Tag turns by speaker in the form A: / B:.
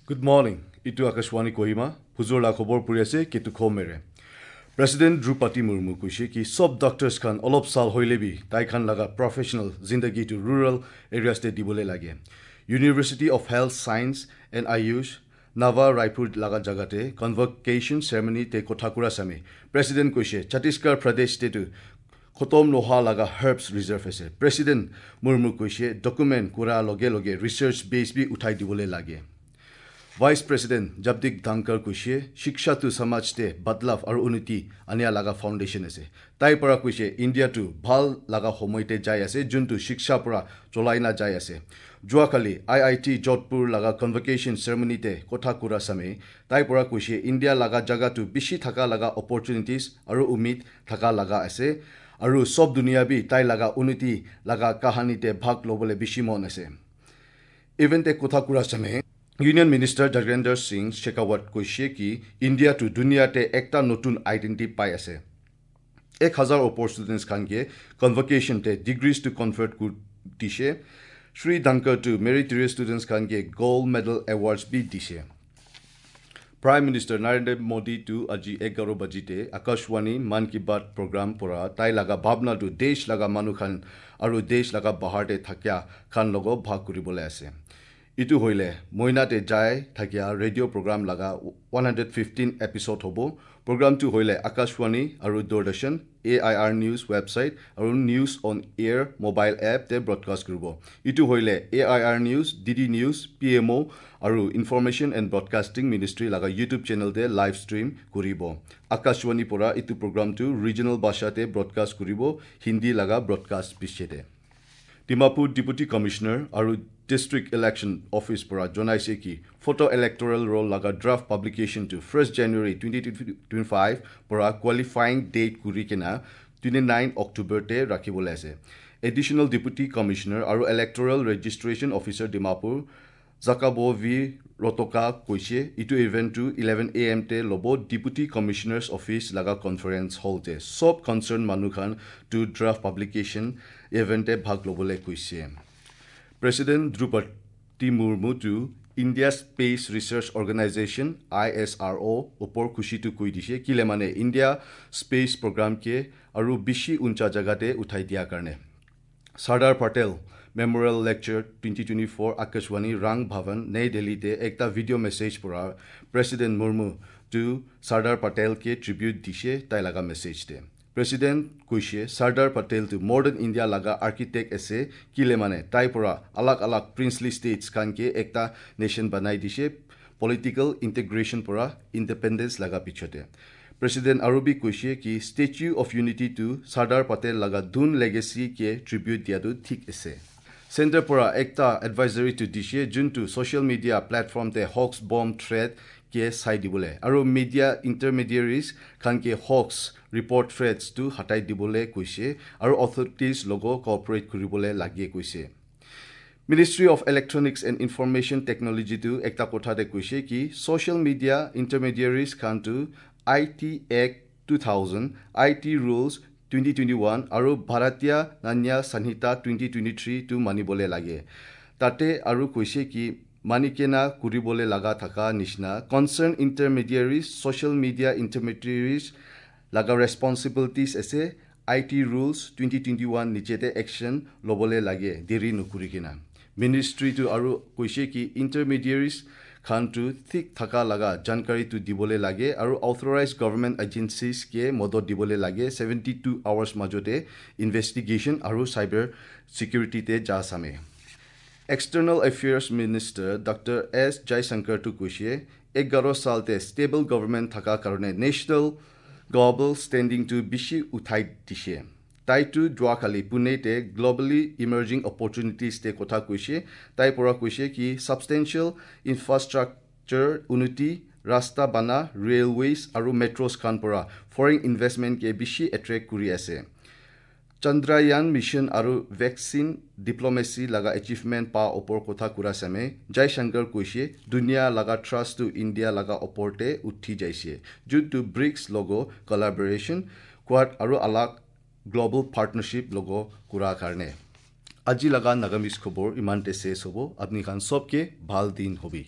A: Good morning. ইটো আকাশবাণী কহিমা, হুজুৰ লা খবৰ পৰি আছে কেতু খমেৰে। প্ৰেচিডেণ্ট দ্ৰৌপদী মুৰ্মু কৈছে কি চব ডক্টৰ্ছ খান অলপ চাল হৈলেবি তাই খান লগা প্ৰফেচনেল জিন্দগীটো ৰুৰেল এৰিয়াছতে দিবলৈ লাগে। University of health science and Ayush Nava Raipur লগা জাগাতে কনভকেশ্যন চেৰেমনিতে কথা কৰা চামি প্ৰেচিডেণ্ট কৈছে ছত্তীশগড় প্ৰদেশতেতো খতম নোহোৱা লগা হাৰ্বছ ৰিজাৰ্ভ আছে। প্ৰেচিডেণ্ট মুৰ্মু কৈছে ডকুমেণ্ট কৰাৰ লগে লগে ৰিচাৰ্চ বেছ বি উঠাই দিবলৈ লাগে। ভাইচ প্ৰেচিডেণ্ট জগদীপ ধনখৰ কৈছে শিক্ষাটো সমাজতে বদলাভ আৰু উন্নতি আনিয়া লগা ফাউণ্ডেশ্যন আছে। তাইৰ পৰা কৈছে ইণ্ডিয়াটো ভাল লগা সময়তে যাই আছে, যোনটো শিক্ষাৰ পৰা চলাই না যাই আছে। যোৱাকালি আই I T Jodhpur লগা কনভকেশ্যন চেৰেমনিতে কথা কোৱা চামে তাইৰ পৰা কৈছে ইণ্ডিয়া লগা জাগাটো বেছি থকা লগা অপৰচুনিটিজ আৰু উমিদ থকা লগা আছে আৰু চব দুনিয়া বি তাই লগা উন্নতি লগা কাহানীতে ভাগ ল'বলৈ বেছি মন আছে। ইভেণ্টে কথা কোৱা চামে ইউনিয়ন মিনিষ্টাৰ গজেন্দ্ৰ সিং শেখাৱত কৈছে কি ইণ্ডিয়াটো দুনিয়াতে একটা নতুন আইডেণ্টিটি পাই আছে। 1000 ওপৰ ষ্টুডেণ্টছ খানকে কনভকেশ্যনতে ডিগ্ৰীজ টু কনভাৰ্ট দিছে। শ্ৰী ধনখৰটো মেৰিটৰিয়াছ ষ্টুডেণ্টছ খানকে গ'ল্ড মেডেল এৱাৰ্ডছ বি দিছে। প্ৰাইম মিনিষ্টাৰ নৰেন্দ্ৰ মোদীটো আজি 11 বাজিতে আকাশবাণী মন কি বাত প্ৰগ্ৰাম পৰা তাই লগা ভাৱনাটো দেশ লগা মানুহ খান আৰু দেশ লগা বাহাৰতে থাকিয়া খান লগত ভাগ কৰিবলৈ আছে। ইটো হ'লে মইনাতে যাই থাকিয়া ৰেডিঅ' প্ৰগ্ৰাম লগা 115 এপিছড হ'ব। প্ৰগ্ৰামটো হ'লে আকাশবাণী আৰু দূৰদৰ্শন, এআইআৰ নিউজ ৱেবছাইট আৰু নিউজ অন এয়াৰ মোবাইল এপতে ব্ৰডকাষ্ট কৰিব। ইটো হ'লে AIR news, DD news, PMO আৰু ইনফৰমেশ্যন এণ্ড ব্ৰডকাষ্টিং মিনিষ্ট্ৰী লগা ইউটিউব চেনেলতে লাইভ ষ্ট্ৰীম কৰিব। আকাশবাণীৰ পৰা ইটো প্ৰগ্ৰামটো ৰিজনেল ভাষাতে ব্ৰডকাষ্ট কৰিব, হিন্দী লগা ব্ৰডকাষ্ট পিছতে। ডিমাপুৰ ডিপুটি কমিশ্যনাৰ আৰু ডিষ্ট্ৰিক্ট ইলেকশ্যন অফিচ পৰা জনাইছে কি ফটো ইলেক্টৰেল ৰোল লগা ড্ৰাফ্ট পাব্লিকেশ্যনটো 1 January 2025 পৰা কোৱালিফাইং ডেট কৰি কিনে 29 অক্টোবৰতে ৰাখিবলৈ আছে। এডিশ্যনেল ডিপুটি কমিশ্যনাৰ আৰু electoral registration officer Dimapur Jakabo V Rotokha কৈছে ইটো ইভেণ্টটো 11 এ.এমতে ল'ব ডিপুটি কমিশ্যনাৰ্ছ অফিচ লগা কনফাৰেন্স হলতে। চব কনচাৰ্ণ মানুহখান টু ড্ৰাফ্ট পাব্লিকেশ্যন ইভেণ্টে ভাগ ল'বলৈ কৈছে। প্ৰেচিডেণ্ট দ্ৰৌপদী মুৰ্মুটো India space research organisation ISRO' ওপৰ খুচিটো কৈ দিছে, কিলে মানে ইণ্ডিয়া স্পেচ প্ৰগ্ৰামকে আৰু বেছি উঞ্চা জেগাতে উঠাই দিয়াৰ কাৰণে। Sardar Patel memorial lecture 2024 Akashvani Rang Bhavan new দিল্লীতে একটা ভিডিঅ' মেছেজ পৰা প্ৰেচিডেণ্ট মুৰ্মু টু চৰ্দাৰ পেটেলকে ট্ৰিবিউট দিছে। তাই লগা মেছেজতে প্ৰেচিডেণ্ট কৈছে চৰ্দাৰ পেটেলটো মডাৰ্ণ ইণ্ডিয়া লগা আৰ্কিটেক্ট আছে, কিলে মানে তাইৰ পৰা আলাগ আলাগ প্ৰিন্সলি ষ্টেটছ খানকে একটা নেশ্যন বনাই দিছে পলিটিকেল ইণ্টিগ্ৰেশ্যন পৰা ইণ্ডিপেণ্ডেন্স লগা পিছতে। প্ৰেচিডেণ্ট আৰু বি কৈছে কি ষ্টেচু অফ ইউনিটিটো চৰ্দাৰ পেটেল লগা ধুন লেগেচি কে ট্ৰিবিউট দিয়াটো ঠিক আছে। চেণ্টাৰ পৰা একটা এডভাইজাৰীটো দিছে, যোনটো ছ'চিয়েল মিডিয়া প্লেটফৰ্মতে হক্স বম থ্ৰেট কে চাই দিবলৈ আৰু মিডিয়া ইণ্টাৰমিডিয়েৰিজ খানকে হক্স ৰিপৰ্ট থ্ৰেটছটো হটাই দিবলৈ কৈছে আৰু অথৰিটিজ লগত কঅপাৰেট কৰিবলৈ লাগে কৈছে। Ministry of electronics and information টেকনলজিটো একটা কথাতে কৈছে কি social media ইণ্টাৰমিডিয়েৰিজ খানটো IT Act 2000, IT Rules 2021 আৰু ভাৰতীয় ন্যায় সংহিতা 2023টো মানিবলৈ লাগে। তাতে আৰু কৈছে কি মানিকেনা কৰিবলৈ লগা থকা নিচিনা কনচাৰ্ণ ইণ্টাৰমিডিয়েৰিজ, ছ'চিয়েল মিডিয়া ইণ্টাৰমিডিয়েৰিজ লগা ৰেচপনচিবিলিটিজ আছে IT rules 2021 নিচেতে একশ্যন ল'বলৈ লাগে দেৰি নকৰি কিনা। মিনিষ্ট্ৰীটো আৰু কৈছে কি ইণ্টাৰমিডিয়েৰিজ খানটো ঠিক থকা লগা জানকাৰীটো দিবলৈ লাগে আৰু অথৰাইজ গভৰ্ণমেণ্ট এজেঞ্চিজকে মদত দিবলৈ লাগে 72 আৱাৰ্ছ মাজতে ইনভেষ্টিগেশ্যন আৰু চাইবাৰ ছিকিউৰিটিতে যা চামে। External affairs minister doctor S জয়শংকৰটো কৈছে 11 সালতে ষ্টেবল গভৰ্ণমেণ্ট থকাৰ কাৰণে নেশ্যনেল গ্ল'বেল ষ্টেণ্ডিংটো বেছি উঠাই দিছে। তাইতো যোৱাকালি পুনেতে গ্ল'বেলি ইমাৰ্জিং অপৰচুনিটিজতে কথা কৈছে। তাইৰ পৰা কৈছে কি ছাবষ্টেঞ্চিয়েল ইনফ্ৰাষ্ট্ৰাকচাৰ উন্নতি, ৰাস্তা বানা, ৰেলৱেজ আৰু মেট্ৰ'ছ খান পৰা ফৰেইন ইনভেষ্টমেণ্টকে বেছি এট্ৰেক্ট কৰি আছে। চন্দ্ৰায়ান মিছন আৰু ভেকচিন ডিপ্ল'মেচি লগা এচিভমেণ্ট পা ওপৰ কথা কৰা চামে জয়শংকৰ কৈছে দুনিয়া লগা ট্ৰাষ্টটো ইণ্ডিয়া লগা ওপৰতে উঠি যাইছে, যোনটো ব্ৰিক্স লগ কলাবৰেশ্যন কোৱাড আৰু আলাগ গ্ল'বেল পাৰ্টনাৰশ্বিপ লগ কৰাৰ কাৰণে। আজি লগা নাগামিজ খবৰ ইমানতে শেষ হ'ব। আপুনি খান চবকে ভাল দিন হবি।